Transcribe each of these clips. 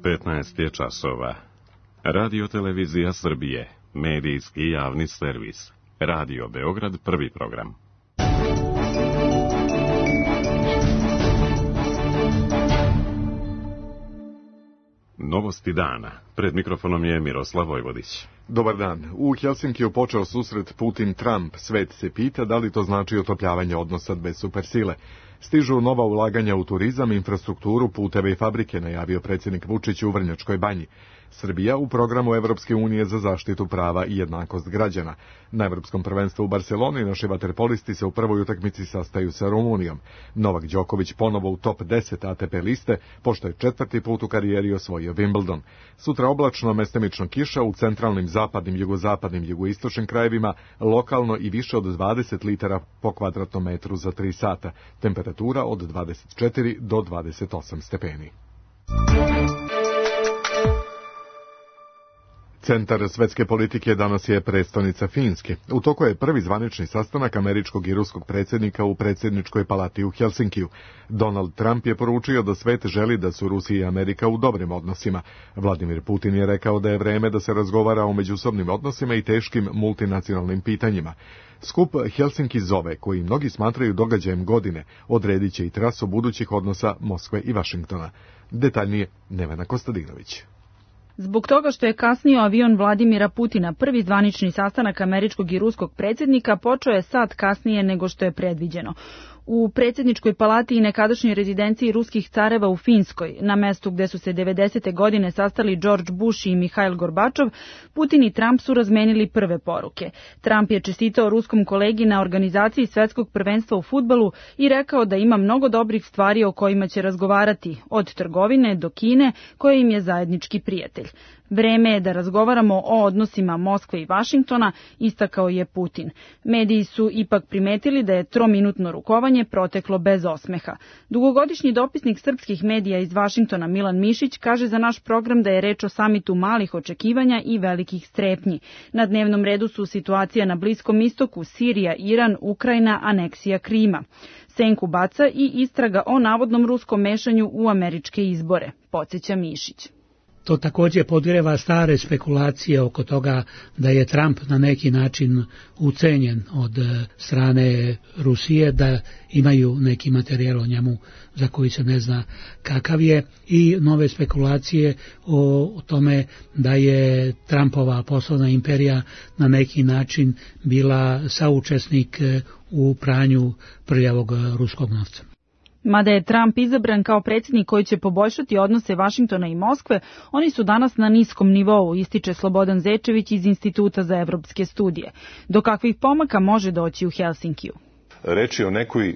15 je časova. Radio Televizija Srbije, medijski javni servis. Radio Beograd, prvi program. Novosti dana. Pred mikrofonom je Miroslav Vojvodić. Dobar dan. U Helsinkiju počeo susret Putin-Trump. Svet se pita da li to znači otopljavanje odnosa bez supersile. Stižu nova ulaganja u turizam, infrastrukturu, puteve i fabrike, najavio predsjednik Vučić u Vrnjačkoj Banji. Srbija u programu Evropske unije za zaštitu prava i jednakost građana. Na Evropskom prvenstvu u Barseloni naši vaterpolisti se u prvoj utakmici sastaju sa Rumunijom. Novak Đoković ponovo u top 10 ATP liste, pošto je četvrti put u karijeri osvojio Wimbledon. Sutra oblačno, mestimično kiša u centralnim, zapadnim, jugozapadnim, jugoistočnim krajevima, lokalno i više od 20 litara po kvadratnom metru za 3 sata. Temperatura od 24 do 28 stepeni. Centar svetske politike danas je prestonica Finske. U toku je prvi zvanični sastanak američkog i ruskog predsjednika u predsjedničkoj palati u Helsinkiju. Donald Trump je poručio da svet želi da su Rusija i Amerika u dobrim odnosima. Vladimir Putin je rekao da je vreme da se razgovara o međusobnim odnosima i teškim multinacionalnim pitanjima. Skup Helsinki zove, koji mnogi smatraju događajem godine, odredit će i trasu budućih odnosa Moskve i Vašingtona. Detaljnije Nevena Kostadinović. Zbog toga što je kasnio avion Vladimira Putina, prvi zvanični sastanak američkog i ruskog predsjednika počeo je sat kasnije nego što je predviđeno. U predsjedničkoj palati i nekadašnjoj rezidenciji ruskih careva u Finskoj, na mestu gde su se 90. godine sastali George Bush i Mihail Gorbačov, Putin i Trump su razmenili prve poruke. Trump je čestitao ruskom kolegi na organizaciji svetskog prvenstva u fudbalu i rekao da ima mnogo dobrih stvari o kojima će razgovarati, od trgovine do Kine, koja im je zajednički prijatelj. Vreme je da razgovaramo o odnosima Moskve i Vašingtona, istakao je Putin. Mediji su ipak primetili da je trominutno rukovanje proteklo bez osmeha. Dugogodišnji dopisnik srpskih medija iz Vašingtona Milan Mišić kaže za naš program da je reč o samitu malih očekivanja i velikih strepnji. Na dnevnom redu su situacija na Bliskom istoku, Sirija, Iran, Ukrajina, aneksija Krima. Senku baca i istraga o navodnom ruskom mešanju u američke izbore, podsjeća Mišić. To također podgreva stare spekulacije oko toga da je Trump na neki način ucenjen od strane Rusije, da imaju neki materijal o njemu za koji se ne zna kakav je, i nove spekulacije o tome da je Trumpova poslovna imperija na neki način bila saučesnik u pranju prljavog ruskog novca. Mada je Trump izabran kao predsjednik koji će poboljšati odnose Vašingtona i Moskve, oni su danas na niskom nivou, ističe Slobodan Zečević iz Instituta za evropske studije. Do kakvih pomaka može doći u Helsinkiju? Reč je o nekoj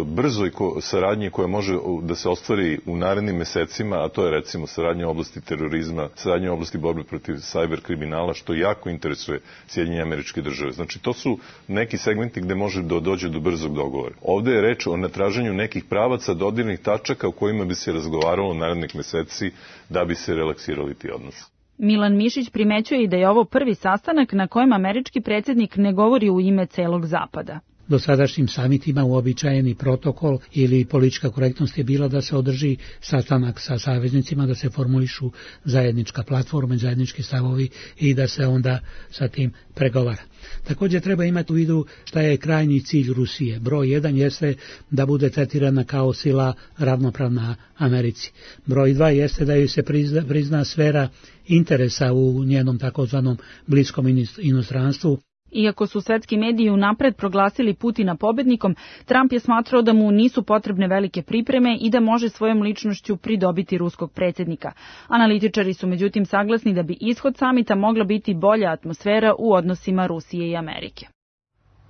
brzoj saradnji koja može da se ostvari u narednim mesecima, a to je recimo saradnja u oblasti terorizma, saradnja u oblasti borbe protiv sajber kriminala, što jako interesuje Sjedinjene Američke Države. Znači, to su neki segmenti gde može da dođe do brzog dogovora. Ovde je reč o natraženju nekih pravaca, dodirnih tačaka u kojima bi se razgovaralo narednih meseci da bi se relaksirali ti odnosi. Milan Mišić primećuje i da je ovo prvi sastanak na kojem američki predsjednik ne govori u ime celog Zapada. Dosadašnjim samitima uobičajeni protokol ili politička korektnost je bila da se održi sastanak sa saveznicima, da se formulišu zajednička platforma, zajednički stavovi i da se onda sa tim pregovara. Također treba imati u vidu šta je krajnji cilj Rusije. Broj 1 jeste da bude tretirana kao sila ravnopravna Americi. Broj 2 jeste da joj se prizna sfera interesa u njenom takozvanom bliskom inostranstvu. Iako su svetski mediji unapred proglasili Putina pobednikom, Trump je smatrao da mu nisu potrebne velike pripreme i da može svojom ličnošću pridobiti ruskog predsjednika. Analitičari su međutim saglasni da bi ishod samita mogla biti bolja atmosfera u odnosima Rusije i Amerike.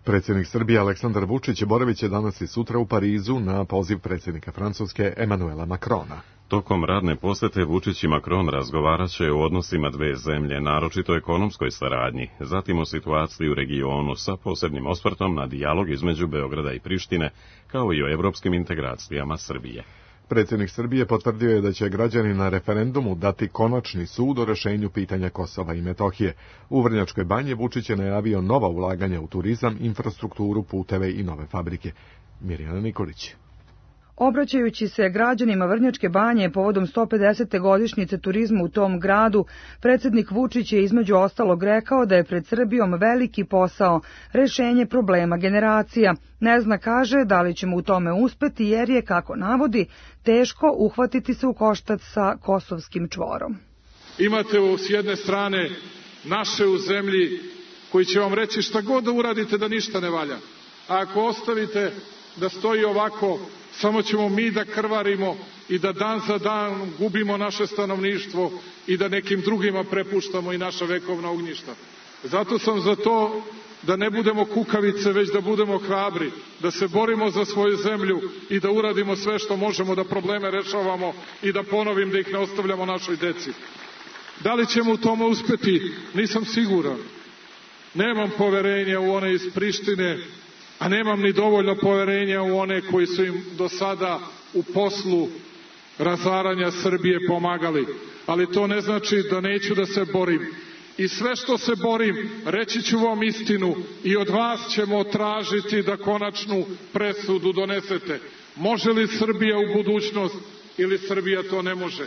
Predsjednik Srbije Aleksandar Vučić boravit će danas i sutra u Parizu na poziv predsjednika Francuske Emmanuela Macrona. Tokom radne posete Vučić i Macron razgovarat će o odnosima dve zemlje, naročito ekonomskoj saradnji, zatim o situaciji u regionu sa posebnim osvrtom na dijalog između Beograda i Prištine, kao i o evropskim integracijama Srbije. Predsjednik Srbije potvrdio je da će građani na referendumu dati konačni sud o rešenju pitanja Kosova i Metohije. U Vrnjačkoj Banji Vučić je najavio nova ulaganja u turizam, infrastrukturu, puteve i nove fabrike. Mirjana Nikolić. Obraćajući se građanima Vrnjačke Banje povodom 150. godišnjice turizma u tom gradu, predsjednik Vučić je između ostalog rekao da je pred Srbijom veliki posao, rešenje problema generacija. Ne zna, kaže, da li ćemo u tome uspeti jer je, kako navodi, teško uhvatiti se u koštac sa kosovskim čvorom. Imate s jedne strane naše u zemlji koji će vam reći šta god da uradite da ništa ne valja. A ako ostavite da stoji ovako, samo ćemo mi da krvarimo i da dan za dan gubimo naše stanovništvo i da nekim drugima prepuštamo i naša vekovna ognjišta. Zato sam za to da ne budemo kukavice, već da budemo hrabri, da se borimo za svoju zemlju i da uradimo sve što možemo da probleme rešavamo i da ponovim da ih ne ostavljamo našoj deci. Da li ćemo u tome uspeti? Nisam siguran. Nemam poverenja u one iz Prištine, a nemam ni dovoljno poverenja u one koji su im do sada u poslu razaranja Srbije pomagali. Ali to ne znači da neću da se borim. I sve što se borim, reći ću vam istinu i od vas ćemo tražiti da konačnu presudu donesete. Može li Srbija u budućnost ili Srbija to ne može?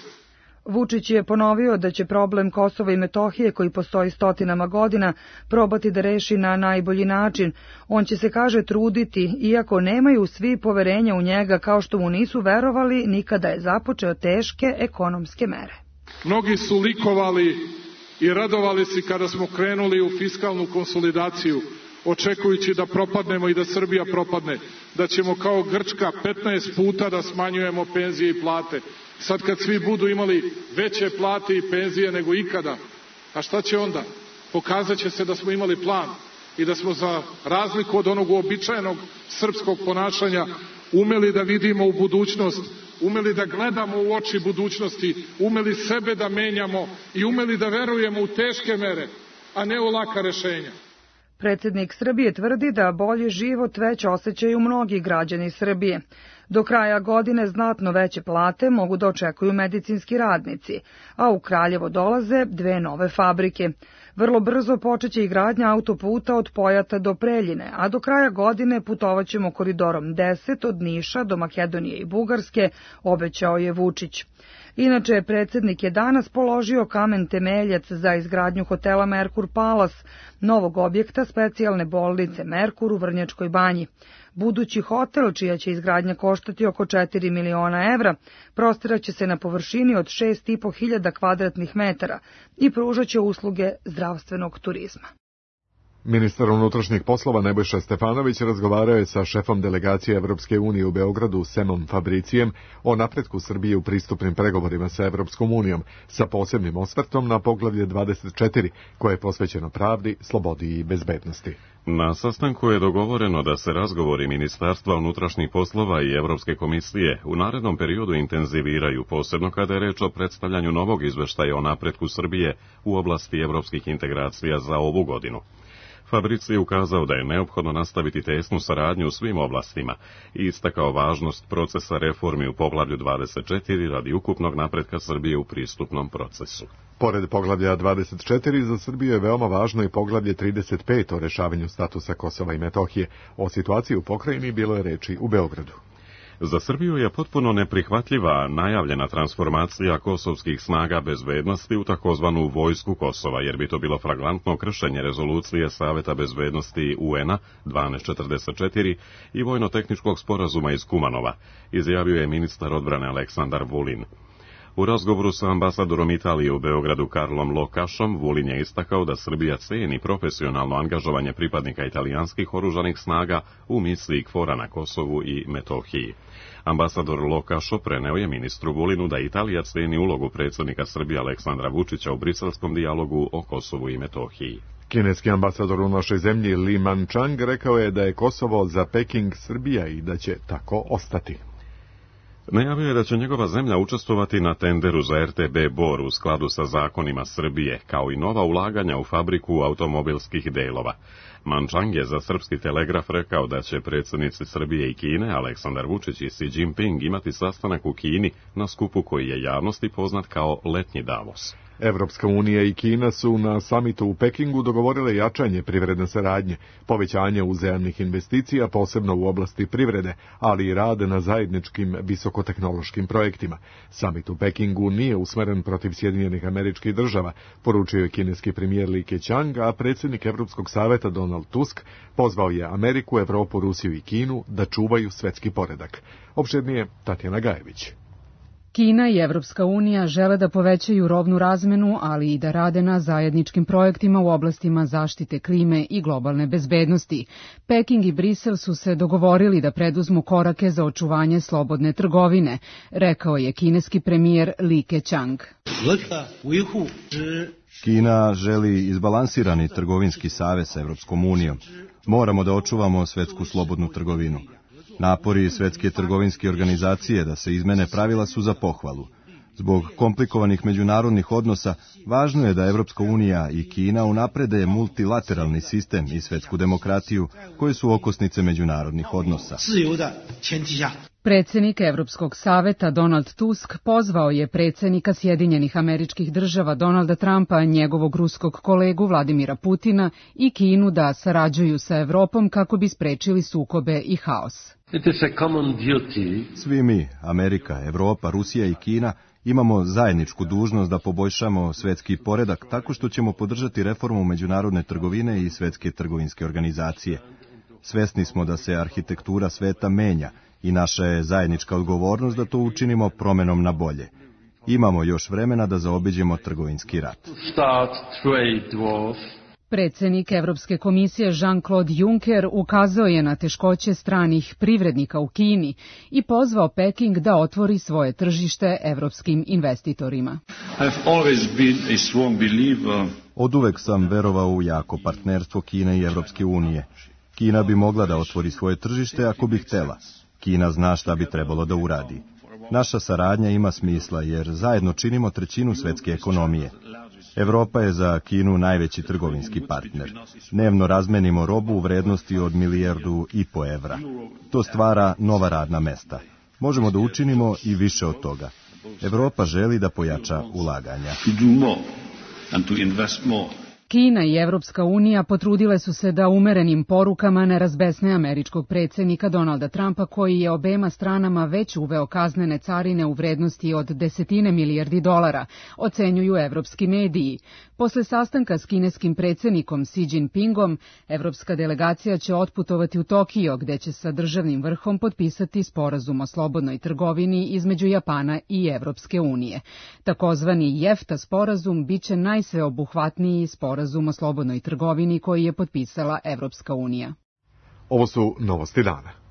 Vučić je ponovio da će problem Kosova i Metohije, koji postoji stotinama godina, probati da reši na najbolji način. On će se, kaže, truditi, iako nemaju svi poverenja u njega, kao što mu nisu verovali ni kada je započeo teške ekonomske mere. Mnogi su likovali i radovali se kada smo krenuli u fiskalnu konsolidaciju, očekujući da propadnemo i da Srbija propadne, da ćemo kao Grčka 15 puta da smanjujemo penzije i plate. Sad kad svi budu imali veće plate i penzije nego ikada, a šta će onda? Pokazat će se da smo imali plan i da smo za razliku od onog uobičajenog srpskog ponašanja umeli da vidimo u budućnost, umeli da gledamo u oči budućnosti, umeli sebe da menjamo i umeli da verujemo u teške mere, a ne u laka rešenja. Predsjednik Srbije tvrdi da bolji život već osjećaju mnogi građani Srbije. Do kraja godine znatno veće plate mogu da očekuju medicinski radnici, a u Kraljevo dolaze 2 nove fabrike. Vrlo brzo počeće i gradnja autoputa od Pojata do Preljine, a do kraja godine putovaćemo koridorom 10 od Niša do Makedonije i Bugarske, obećao je Vučić. Inače, predsjednik je danas položio kamen temeljac za izgradnju hotela Merkur Palace, novog objekta specijalne bolnice Merkur u Vrnjačkoj Banji. Budući hotel, čija će izgradnja koštati oko 4 miliona evra, prostiraće se na površini od 6.500 kvadratnih metara i pružaće usluge zdravstvenog turizma. Ministar unutrašnjih poslova Nebojša Stefanović razgovarao je sa šefom delegacije Evropske unije u Beogradu Semom Fabricijem o napretku Srbije u pristupnim pregovorima sa Evropskom unijom, sa posebnim osvrtom na poglavlje 24, koje je posvećeno pravdi, slobodi i bezbednosti. Na sastanku je dogovoreno da se razgovori Ministarstva unutrašnjih poslova i Evropske komisije u narednom periodu intenziviraju, posebno kada je reč o predstavljanju novog izveštaja o napretku Srbije u oblasti evropskih integracija za ovu godinu. Fabrici je ukazao da je neophodno nastaviti tesnu saradnju u svim oblastima i istakao važnost procesa reformi u poglavlju 24 radi ukupnog napretka Srbije u pristupnom procesu. Pored poglavlja 24, za Srbiju je veoma važno i poglavlje 35 o rešavanju statusa Kosova i Metohije. O situaciji u pokrajini bilo je reči u Beogradu. Za Srbiju je potpuno neprihvatljiva najavljena transformacija kosovskih snaga bezbednosti u takozvanu vojsku Kosova, jer bi to bilo flagrantno kršenje rezolucije Saveta bezbednosti UN-a 1244 i vojno-tehničkog sporazuma iz Kumanova, izjavio je ministar odbrane Aleksandar Vulin. U razgovoru sa ambasadorom Italije u Beogradu Karlom Lokašom, Vulin je istakao da Srbija ceni profesionalno angažovanje pripadnika italijanskih oružanih snaga u misiji KFOR-a na Kosovu i Metohiji. Ambasador Lokašo preneo je ministru Vulinu da Italija ceni ulogu predsjednika Srbije Aleksandra Vučića u briselskom dijalogu o Kosovu i Metohiji. Kineski ambasador u našoj zemlji Li Manchang rekao je da je Kosovo za Peking Srbija i da će tako ostati. Najavio je da će njegova zemlja učestvovati na tenderu za RTB Bor u skladu sa zakonima Srbije, kao i nova ulaganja u fabriku automobilskih delova. Manchang je za Srpski telegraf rekao da će predsjednici Srbije i Kine, Aleksandar Vučić i Xi Jinping, imati sastanak u Kini na skupu koji je javnosti poznat kao Letnji Davos. Evropska unija i Kina su na samitu u Pekingu dogovorile jačanje privredne saradnje, povećanje uzajamnih investicija, posebno u oblasti privrede, ali i rad na zajedničkim visokotehnološkim projektima. Samit u Pekingu nije usmeren protiv Sjedinjenih Američkih Država, poručio je kineski premijer Li Keqiang, a predsjednik Evropskog saveta Donald Tusk pozvao je Ameriku, Evropu, Rusiju i Kinu da čuvaju svetski poredak. Opširnije Tatjana Gajević. Kina i Evropska unija žele da povećaju robnu razmenu, ali i da rade na zajedničkim projektima u oblastima zaštite klime i globalne bezbednosti. Peking i Brisel su se dogovorili da preduzmu korake za očuvanje slobodne trgovine, rekao je kineski premijer Li Keqiang. Kina želi izbalansirani trgovinski savez sa Evropskom unijom. Moramo da očuvamo svetsku slobodnu trgovinu. Napori Svetske trgovinske organizacije da se izmene pravila su za pohvalu. Zbog komplikovanih međunarodnih odnosa, važno je da Evropska unija i Kina unaprede multilateralni sistem i svetsku demokratiju, koje su okosnice međunarodnih odnosa. Predsjednik Evropskog saveta Donald Tusk pozvao je predsjednika Sjedinjenih Američkih Država Donalda Trumpa, njegovog ruskog kolegu Vladimira Putina i Kinu da sarađuju sa Evropom kako bi sprečili sukobe i haos. Svi mi, Amerika, Evropa, Rusija i Kina, imamo zajedničku dužnost da poboljšamo svetski poredak tako što ćemo podržati reformu međunarodne trgovine i Svetske trgovinske organizacije. Svesni smo da se arhitektura sveta menja i naša je zajednička odgovornost da to učinimo promenom na bolje. Imamo još vremena da zaobiđemo trgovinski rat. Predsjednik Evropske komisije Jean-Claude Juncker ukazao je na teškoće stranih privrednika u Kini i pozvao Peking da otvori svoje tržište evropskim investitorima. Oduvek sam verovao u jako partnerstvo Kine i Evropske unije. Kina bi mogla da otvori svoje tržište ako bi htela. Kina zna šta bi trebalo da uradi. Naša saradnja ima smisla jer zajedno činimo trećinu svetske ekonomije. Evropa je za Kinu najveći trgovinski partner. Dnevno razmenimo robu u vrednosti od 1,5 milijardu evra. To stvara nova radna mesta. Možemo da učinimo i više od toga. Evropa želi da pojača ulaganja. Kina i Evropska unija potrudile su se da umerenim porukama ne razbesne američkog predsjednika Donalda Trumpa, koji je obema stranama već uveo kaznene carine u vrednosti od $10 milijardi, ocenjuju evropski mediji. Posle sastanka s kineskim predsjednikom Xi Jinpingom, evropska delegacija će otputovati u Tokio, gde će sa državnim vrhom potpisati sporazum o slobodnoj trgovini između Japana i Evropske unije. Takozvani JEFTA sporazum biće najsveobuhvatniji sporazum o slobodnoj trgovini koji je potpisala Evropska unija. Ovo su novosti dana.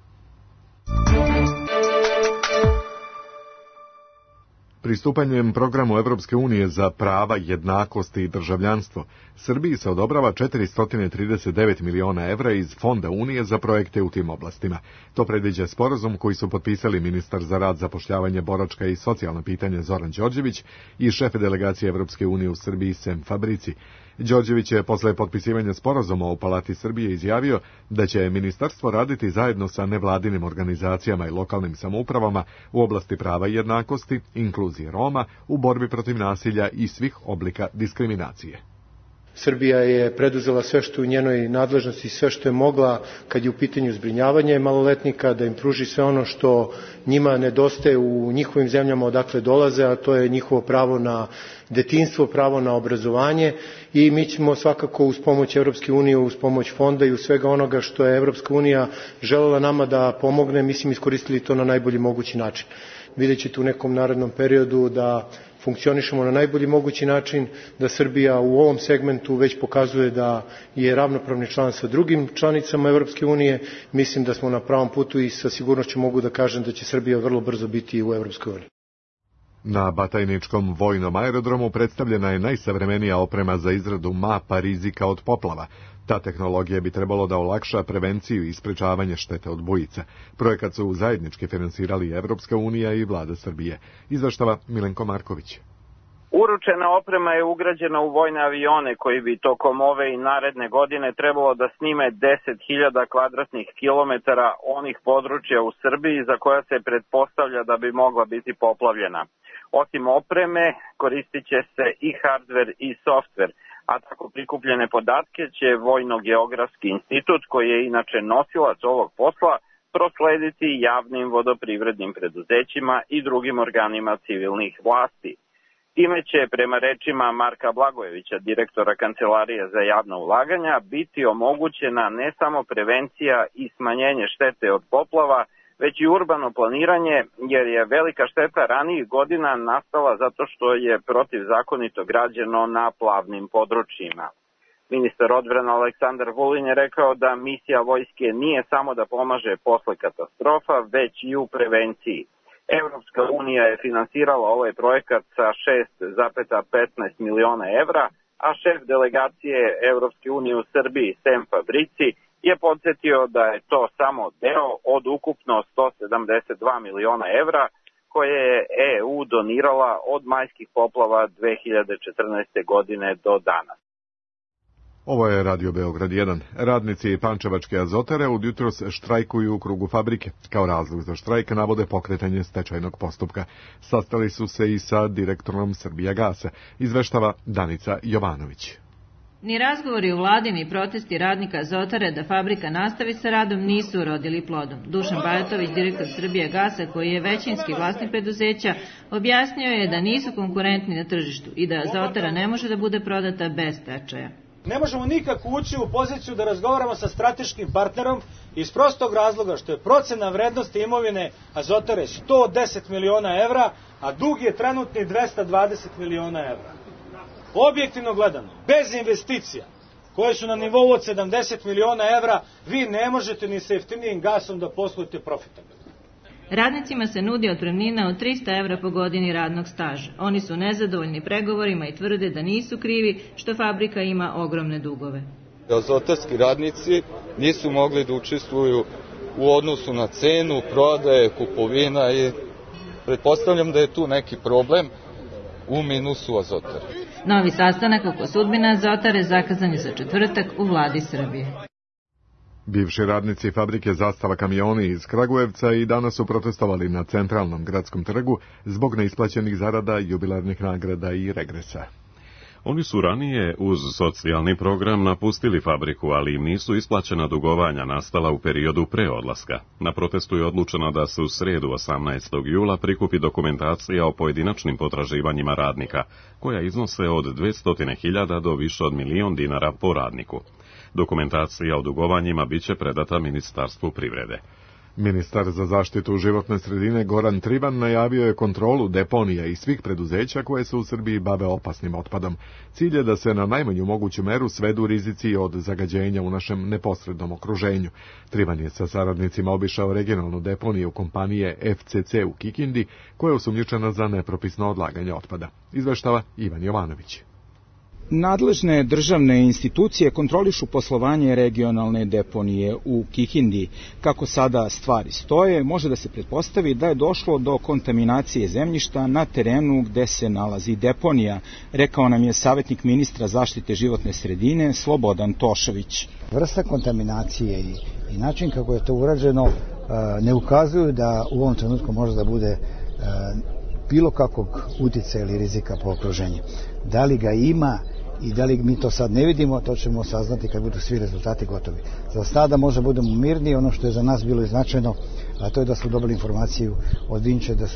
Pristupanjem programu Evropske unije za prava, jednakosti i državljanstvo, Srbiji se odobrava 439 miliona evra iz Fonda Unije za projekte u tim oblastima. To predviđa sporazum koji su potpisali ministar za rad, zapošljavanje, boračka i socijalna pitanja Zoran Đorđević i šef delegacije Evropske unije u Srbiji Sem Fabrici. Đorđević je posle potpisivanja sporazuma u Palati Srbije izjavio da će ministarstvo raditi zajedno sa nevladinim organizacijama i lokalnim samoupravama u oblasti prava i jednakosti, inkluzije Roma, u borbi protiv nasilja i svih oblika diskriminacije. Srbija je preduzela sve što u njenoj nadležnosti, sve što je mogla kad je u pitanju zbrinjavanje maloletnika, da im pruži sve ono što njima nedostaje u njihovim zemljama odakle dolaze, a to je njihovo pravo na detinjstvo, pravo na obrazovanje, i mi ćemo svakako uz pomoć Evropske unije, uz pomoć fonda i uz svega onoga što je Evropska unija želela nama da pomogne, mislim iskoristili to na najbolji mogući način. Vidjet ćete u nekom narednom periodu da funkcionišemo na najbolji mogući način, da Srbija u ovom segmentu već pokazuje da je ravnopravni član sa drugim članicama Evropske unije. Mislim da smo na pravom putu i sa sigurnošću mogu da kažem da će Srbija vrlo brzo biti u Evropskoj uniji. Na Batajničkom vojnom aerodromu predstavljena je najsavremenija oprema za izradu mapa rizika od poplava. Ta tehnologija bi trebalo da olakša prevenciju i sprečavanje štete od bujica. Projekat su zajednički finansirali Evropska unija i vlada Srbije. Izveštava Milenko Marković. Uručena oprema je ugrađena u vojne avione koji bi tokom ove i naredne godine trebalo da snime 10.000 kvadratnih kilometara onih područja u Srbiji za koja se pretpostavlja da bi mogla biti poplavljena. Osim opreme, koristit će se i hardver i softver, a tako prikupljene podatke će Vojno-geografski institut, koji je inače nosilac ovog posla, proslediti javnim vodoprivrednim preduzećima i drugim organima civilnih vlasti. Time će, prema rečima Marka Blagojevića, direktora Kancelarije za javna ulaganja, biti omogućena ne samo prevencija i smanjenje štete od poplava, već i urbano planiranje, jer je velika šteta ranijih godina nastala zato što je protivzakonito građeno na plavnim područjima. Ministar odbrane Aleksandar Vulin je rekao da misija vojske nije samo da pomaže posle katastrofa, već i u prevenciji. Evropska unija je finansirala ovaj projekat sa 6,15 miliona evra, a šef delegacije Evropske unije u Srbiji, Sem Fabrici, je podsjetio da je to samo deo od ukupno 172 miliona evra koje je EU donirala od majskih poplava 2014. godine do danas. Ovo je Radio Beograd 1. Radnici Pančevačke azotare od jutros štrajkuju u krugu fabrike. Kao razlog za štrajk navode pokretanje stečajnog postupka. Sastali su se i sa direktorom Srbijagasa, izveštava Danica Jovanović. Ni razgovori u vladi, ni protesti radnika azotare da fabrika nastavi sa radom nisu urodili plodom. Dušan Bajatović, direktor Srbijagasa, koji je većinski vlasnik preduzeća, objasnio je da nisu konkurentni na tržištu i da azotara ne može da bude prodata bez stečaja. Ne možemo nikako ući u poziciju da razgovaramo sa strateškim partnerom iz prostog razloga što je procena vrednosti imovine azotare 110 miliona evra, a dug je trenutni 220 miliona evra. Objektivno gledano, bez investicija koje su na nivou od 70 miliona evra, vi ne možete ni sa jeftinijim gasom da poslujete profitabilno. Radnicima se nudi otpremnina od 300 evra po godini radnog staža. Oni su nezadovoljni pregovorima i tvrde da nisu krivi što fabrika ima ogromne dugove. Azotarski radnici nisu mogli da učestvuju u odnosu na cenu, prodaje, kupovina i pretpostavljam da je tu neki problem u minusu azotare. Novi sastanak oko sudbine azotare zakazan je za četvrtak u vladi Srbije. Bivši radnici fabrike Zastava kamioni iz Kragujevca i danas su protestovali na centralnom gradskom trgu zbog neisplaćenih zarada, jubilarnih nagrada i regresa. Oni su ranije uz socijalni program napustili fabriku, ali im nisu isplaćena dugovanja nastala u periodu pre odlaska. Na protestu je odlučeno da se u sredu 18. jula prikupi dokumentacija o pojedinačnim potraživanjima radnika, koja iznose od 200.000 do više od 1.000.000 dinara po radniku. Dokumentacija o dugovanjima biće predata Ministarstvu privrede. Ministar za zaštitu životne sredine Goran Trivan najavio je kontrolu deponija i svih preduzeća koje se u Srbiji bave opasnim otpadom. Cilj je da se na najmanju moguću meru svedu rizici od zagađenja u našem neposrednom okruženju. Trivan je sa saradnicima obišao regionalnu deponiju kompanije FCC u Kikindi, koja je osumnjičena za nepropisno odlaganje otpada. Izveštava Ivan Jovanović. Nadležne državne institucije kontrolišu poslovanje regionalne deponije u Kikindi. Kako sada stvari stoje, može da se pretpostavi da je došlo do kontaminacije zemljišta na terenu gde se nalazi deponija, rekao nam je savjetnik ministra zaštite životne sredine Slobodan Tošović. Vrsta kontaminacije i način kako je to urađeno ne ukazuju da u ovom trenutku može da bude bilo kakvog uticaja ili rizika po okruženju. Da li ga ima i da li mi to sad ne vidimo, to ćemo saznati kad budu svi rezultati gotovi. Za sada možda budemo mirni, ono što je za nas bilo značajno, a to je da smo dobili informaciju od Vinče da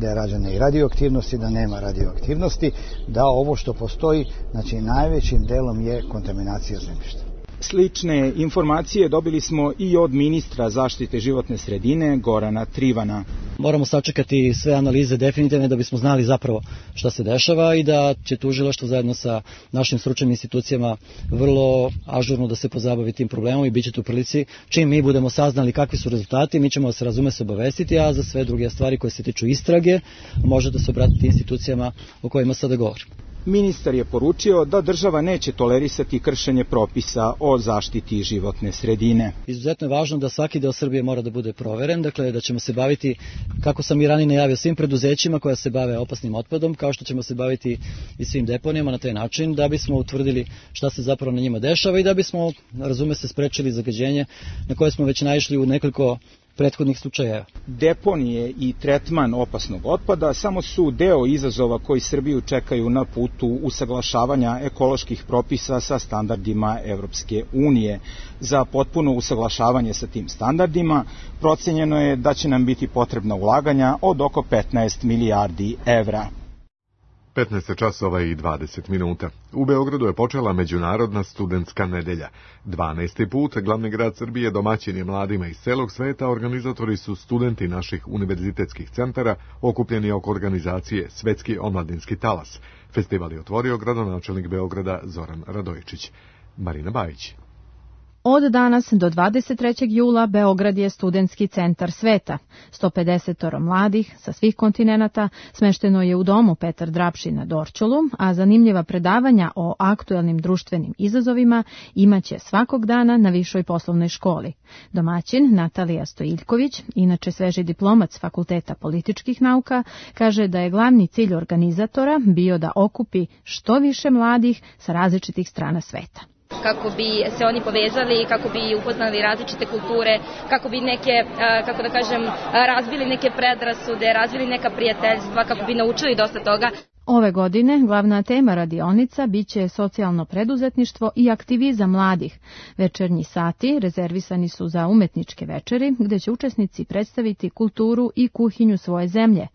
je rađena i radioaktivnosti, da nema radioaktivnosti, da ovo što postoji, znači najvećim delom je kontaminacija zemljišta. Slične informacije dobili smo i od ministra zaštite životne sredine Gorana Trivana. Moramo sačekati sve analize definitivne da bismo znali zapravo šta se dešava i da će tužilaštvo zajedno sa našim stručnim institucijama vrlo ažurno da se pozabavi tim problemom i bit će tu prilici. Čim mi budemo saznali kakvi su rezultati, mi ćemo se obavestiti, a za sve druge stvari koje se tiču istrage može da se obratiti institucijama o kojima sada govorim. Ministar je poručio da država neće tolerisati kršenje propisa o zaštiti životne sredine. Izuzetno je važno da svaki deo Srbije mora da bude proveren, dakle da ćemo se baviti, kako sam i ranije najavio, svim preduzećima koja se bave opasnim otpadom, kao što ćemo se baviti i svim deponijama na taj način, da bismo utvrdili šta se zapravo na njima dešava i da bismo, razume se, sprečili zagađenje na koje smo već naišli u nekoliko prethodnih slučajeva. Deponije i tretman opasnog otpada samo su deo izazova koji Srbiju čekaju na putu usaglašavanja ekoloških propisa sa standardima Evropske unije. Za potpuno usaglašavanje sa tim standardima procenjeno je da će nam biti potrebna ulaganja od oko 15 milijardi evra. 15 časova i 20 minuta. U Beogradu je počela Međunarodna studentska nedelja. 12. put glavni grad Srbije domaćin je mladima iz celog sveta, organizatori su studenti naših univerzitetskih centara okupljeni oko organizacije Svetski omladinski talas. Festival je otvorio gradonačelnik Beograda Zoran Radojičić. Marina Bajić. Od danas do 23. jula Beograd je studentski centar sveta. 150 mladih sa svih kontinenata smešteno je u domu Petar Drapši na Dorćolu, a zanimljiva predavanja o aktuelnim društvenim izazovima imaće svakog dana na Višoj poslovnoj školi. Domaćin Natalija Stojiljković, inače sveži diplomac Fakulteta političkih nauka, kaže da je glavni cilj organizatora bio da okupi što više mladih sa različitih strana sveta. Kako bi se oni povezali, kako bi upoznali različite kulture, kako bi neke, kako da kažem, razbili neke predrasude, razbili neka prijateljstva, kako bi naučili dosta toga. Ove godine glavna tema radionica biće socijalno preduzetništvo i aktivizam mladih. Večernji sati rezervisani su za umetničke večeri, gde će učesnici predstaviti kulturu i kuhinju svoje zemlje.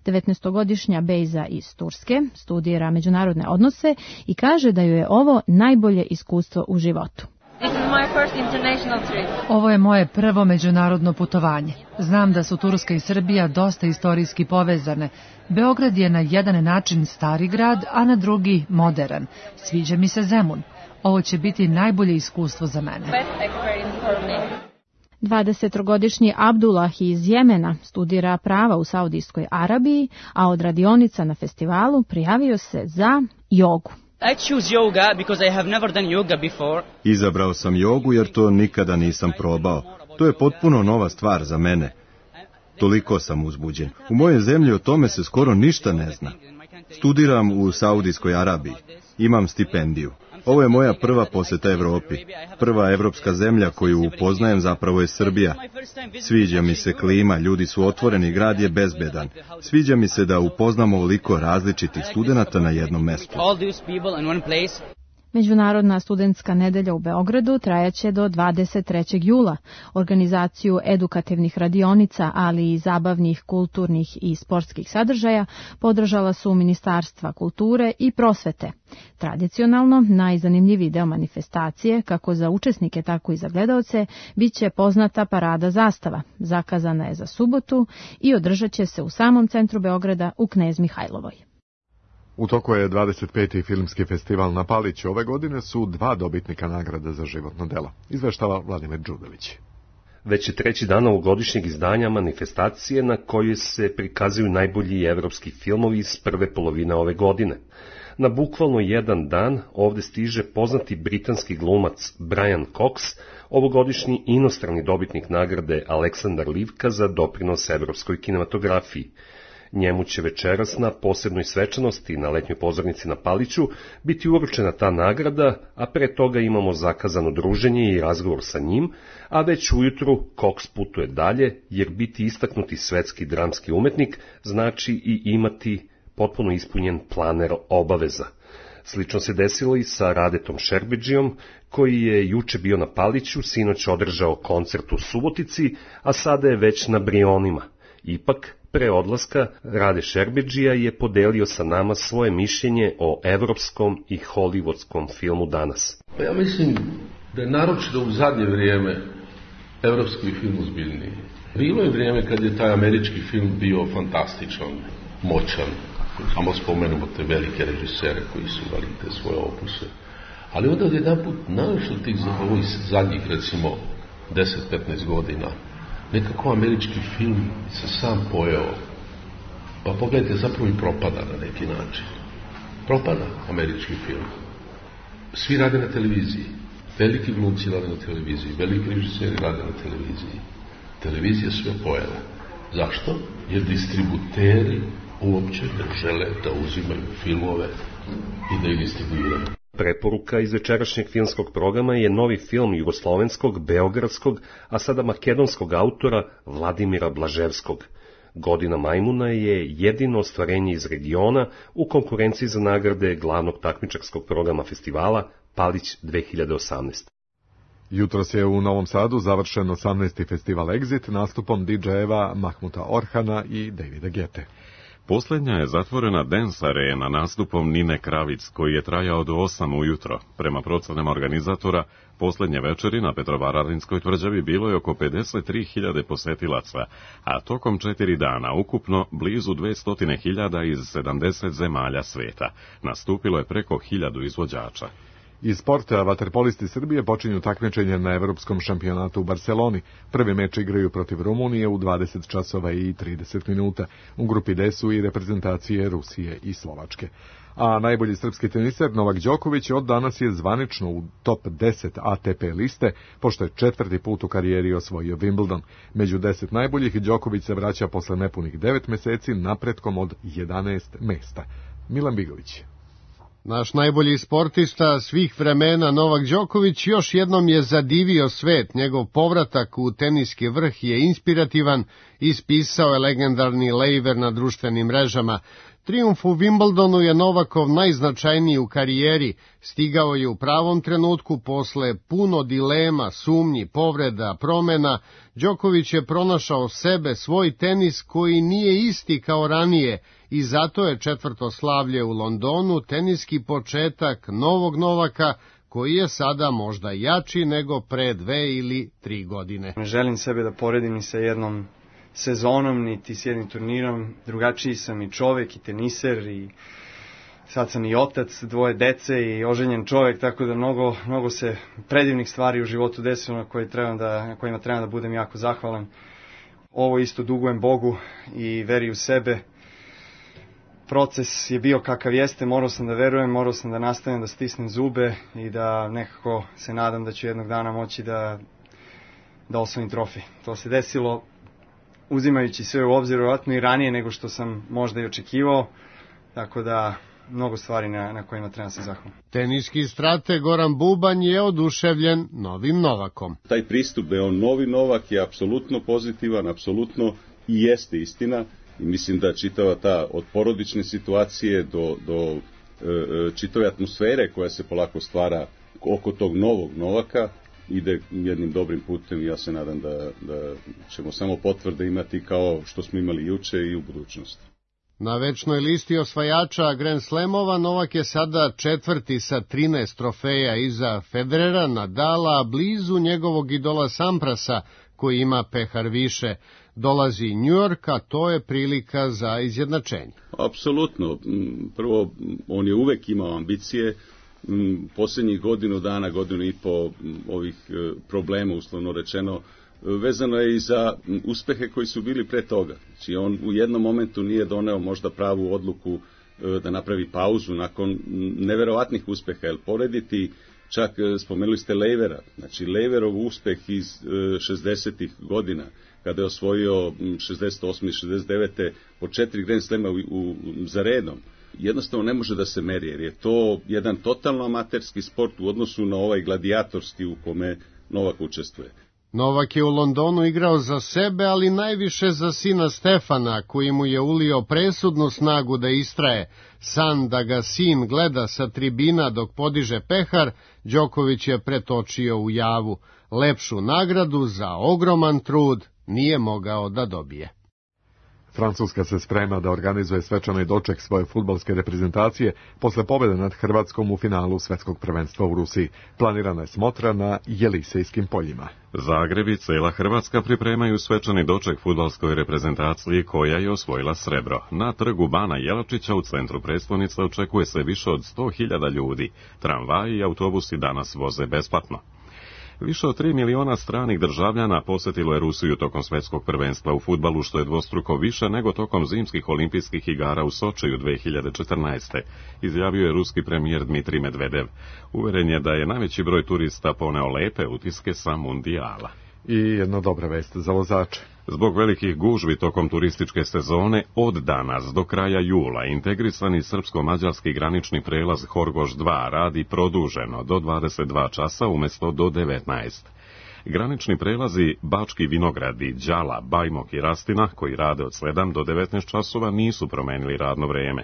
19-godišnja Bejza iz Turske studira međunarodne odnose i kaže da joj je ovo najbolje iskustvo u životu. Ovo je moje prvo međunarodno putovanje. Znam da su Turska i Srbija dosta istorijski povezane. Beograd je na jedan način stari grad, a na drugi modern. Sviđa mi se Zemun. Ovo će biti najbolje iskustvo za mene. 20-godišnji Abdullah iz Jemena studira prava u Saudijskoj Arabiji, a od radionica na festivalu prijavio se za jogu. Izabrao sam jogu jer to nikada nisam probao. To je potpuno nova stvar za mene. Toliko sam uzbuđen. U mojoj zemlji o tome se skoro ništa ne zna. Studiram u Saudijskoj Arabiji. Imam stipendiju. Ovo je moja prva poseta Evropi. Prva evropska zemlja koju upoznajem zapravo je Srbija. Sviđa mi se klima, ljudi su otvoreni, grad je bezbedan. Sviđa mi se da upoznamo ovoliko različitih studenata na jednom mestu. Međunarodna studentska nedelja u Beogradu trajaće do 23. jula. Organizaciju edukativnih radionica, ali i zabavnih, kulturnih i sportskih sadržaja podržala su Ministarstva kulture i prosvete. Tradicionalno, najzanimljiviji deo manifestacije, kako za učesnike, tako i za gledaoce, biće poznata parada zastava. Zakazana je za subotu i održat će se u samom centru Beograda u Knez Mihajlovoj. U toku je 25. filmski festival na Paliću. Ove godine su 2 dobitnika nagrada za životno delo. Izveštava Vladimir Đudović. Već je 3. dan ovogodišnjeg izdanja manifestacije na kojoj se prikazuju najbolji evropski filmovi iz prve polovine ove godine. Na bukvalno jedan dan ovde stiže poznati britanski glumac Brian Cox, ovogodišnji inostrani dobitnik nagrade Aleksandar Livka za doprinos evropskoj kinematografiji. Njemu će večeras na posebnoj svečanosti na letnjoj pozornici na Paliću biti uručena ta nagrada, a pre toga imamo zakazano druženje i razgovor sa njim, a već ujutru Cox putuje dalje, jer biti istaknuti svetski dramski umetnik znači i imati potpuno ispunjen planer obaveza. Slično se desilo i sa Radetom Šerbedžijom, koji je juče bio na Paliću, sinoć održao koncert u Subotici, a sada je već na Brionima. Ipak, pre odlaska, Rade Šerbedžija je podelio sa nama svoje mišljenje o evropskom i hollywoodskom filmu danas. Pa ja mislim da je naročito u zadnje vrijeme evropski film ozbiljniji. Bilo je vrijeme kad je taj američki film bio fantastičan, moćan. Samo spomenemo te velike režisere koji su imali te svoje opuse. Ali onda odjedanput, naročito tih ovih zadnjih, recimo, 10-15 godina, nekako američki film se sam pojeo, pa pogledajte, zapravo i propada na neki način. propada američki film. Svi rade na televiziji. Veliki glumci rade na televiziji, veliki režiseri rade na televiziji. Televizija sve pojela. Zašto? Jer distributeri uopće ne žele da uzimaju filmove i da ih distribuiraju. Preporuka iz večerašnjeg filmskog programa je novi film jugoslovenskog, beogradskog, a sada makedonskog autora Vladimira Blaževskog. Godina majmuna je jedino ostvarenje iz regiona u konkurenciji za nagrade glavnog takmičarskog programa festivala Palić 2018. Jutros je u Novom Sadu završen 18. festival Exit nastupom DJ-eva Mahmuta Orhana i Davida Gete. Posljednja je zatvorena Dance Arena nastupom Nine Kravic, koji je trajao do 8 ujutro. Prema procenama organizatora, posljednje večeri na Petrovaradinskoj tvrđavi bilo je oko 53.000 posetilaca, a tokom 4 dana ukupno blizu 200.000 iz 70 zemalja sveta. Nastupilo je preko 1000 izvođača. Iz sporta vaterpolisti Srbije počinju takmičenje na Evropskom šampionatu u Barseloni. Prvi meč igraju protiv Rumunije u 20 časova i 30 minuta. U grupi D su i reprezentacije Rusije i Slovačke. A najbolji srpski teniser Novak Đoković od danas je zvanično u top 10 ATP liste, pošto je 4. put u karijeri osvojio Wimbledon. Među 10 najboljih Đoković se vraća posle nepunih 9 meseci napretkom od 11 mesta. Milan Bigović. Naš najbolji sportista svih vremena Novak Đoković još jednom je zadivio svet. Njegov povratak u teniski vrh je inspirativan, ispisao je legendarni Laver na društvenim mrežama. Trijumf u Wimbledonu je Novakov najznačajniji u karijeri. Stigao je u pravom trenutku posle puno dilema, sumnji, povreda, promena. Đoković je pronašao sebe, svoj tenis koji nije isti kao ranije i zato je četvrto slavlje u Londonu teniski početak novog Novaka koji je sada možda jači nego pre 2 ili 3 godine. Ne želim sebe da poredim ni sa jednom sezonom, niti s jednim turnirom. Drugačiji sam i čovek i teniser i sad sam i otac 2 dece i oženjen čovek, tako da mnogo se predivnih stvari u životu desilo na kojima trebam da budem jako zahvalan. Ovo isto dugujem Bogu i veri u sebe. Proces je bio kakav jeste, morao sam da verujem, morao sam da nastavim da stisnem zube i da nekako se nadam da ću jednog dana moći da osvojim trofej. To se desilo uzimajući sve u obzir, vjerojatno i ranije nego što sam možda i očekivao, tako da mnogo stvari na kojima treba se zahvaliti. Teniski strateg Goran Bubanj je oduševljen novim Novakom. Taj pristup da je on novi Novak je apsolutno pozitivan, apsolutno i jeste istina. I mislim da čitava ta od porodične situacije do čitave atmosfere koja se polako stvara oko tog novog Novaka ide jednim dobrim putem i ja se nadam da ćemo samo potvrde imati kao što smo imali juče i u budućnosti. Na večnoj listi osvajača Grand Slamova Novak je sada 4. sa 13 trofeja iza Federera, Nadala, blizu njegovog idola Samprasa koji ima pehar više. Dolazi New York, a to je prilika za izjednačenje. Apsolutno. Prvo, on je uvek imao ambicije. Posljednjih godinu i po ovih problema, uslovno rečeno, vezano je i za uspehe koji su bili pre toga. Znači, on u jednom momentu nije doneo možda pravu odluku da napravi pauzu nakon neverovatnih uspeha, jer porediti, čak spomenuli ste Levera, znači Leverov uspeh iz 60. godina, kada je osvojio 68. i 69. po 4 Grand Slema za redom, jednostavno ne može da se meri, jer je to jedan totalno amaterski sport u odnosu na ovaj gladijatorski u kome Novak učestvuje. Novak je u Londonu igrao za sebe, ali najviše za sina Stefana, koji mu je ulio presudnu snagu da istraje. San da ga sin gleda sa tribina dok podiže pehar, Đoković je pretočio u javu. Lepšu nagradu za ogroman trud nije mogao da dobije. Francuska se sprema da organizuje svečani doček svoje fudbalske reprezentacije posle pobjede nad Hrvatskom u finalu svetskog prvenstva u Rusiji. Planirana je smotra na Jelisejskim poljima. Zagreb i cela Hrvatska pripremaju svečani doček fudbalskoj reprezentaciji koja je osvojila srebro. Na trgu Bana Jelačića u centru prestonice očekuje se više od 100.000 ljudi. Tramvaji i autobusi danas voze besplatno. Više od 3 miliona stranih državljana posjetilo je Rusiju tokom svjetskog prvenstva u fudbalu, što je dvostruko više nego tokom zimskih olimpijskih igara u Sočiju 2014. Izjavio je ruski premijer Dmitrij Medvedev. Uveren je da je najveći broj turista poneo lepe utiske sa mundijala. I jedna dobra vest za vozače. Zbog velikih gužvi tokom turističke sezone, od danas do kraja jula integrisani srpsko-mađarski granični prelaz Horgoš 2 radi produženo do 22 časa umjesto do 19. Granični prelazi Bački Vinogradi, Đala, Bajmok i Rastina, koji rade od 7 do 19 časova, nisu promenili radno vrijeme.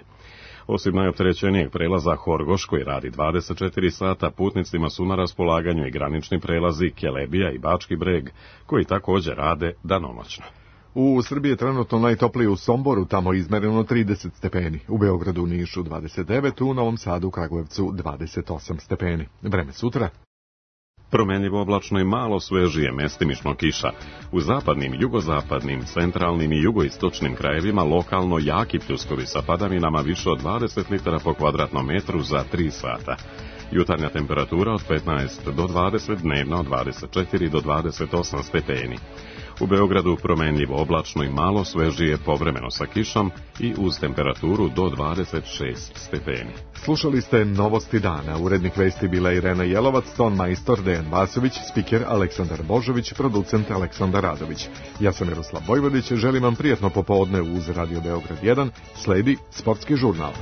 Osim najopterećenijeg prelaza Horgoš, koji radi 24 sata, putnicima su na raspolaganju i granični prelazi Kelebija i Bački Breg, koji također rade danonoćno. U Srbiji je trenutno najtoplije u Somboru, tamo je izmereno 30 stepeni, u Beogradu, Nišu 29, u Novom Sadu, Kragujevcu 28 stepeni. Vreme sutra. Promenljivo oblačno i malo svežije, mestimično kiša. U zapadnim, jugozapadnim, centralnim i jugoistočnim krajevima lokalno jaki pljuskovi sa padavinama više od 20 litara po kvadratnom metru za 3 sata. Jutarnja temperatura od 15 do 20, dnevna od 24 do 28 stepeni. U Beogradu promenljivo oblačno i malo svežije, povremeno sa kišom i uz temperaturu do 26 stepeni. Slušali ste Novosti dana. Urednik vesti bila Irena Jelovac, ton majstor Dejan Vasović, spiker Aleksandar Božović, producent Aleksandar Radović. Ja sam Miroslav Vojvodić, želim vam prijatno popodne uz Radio Beograd 1, sledi Sportski žurnal.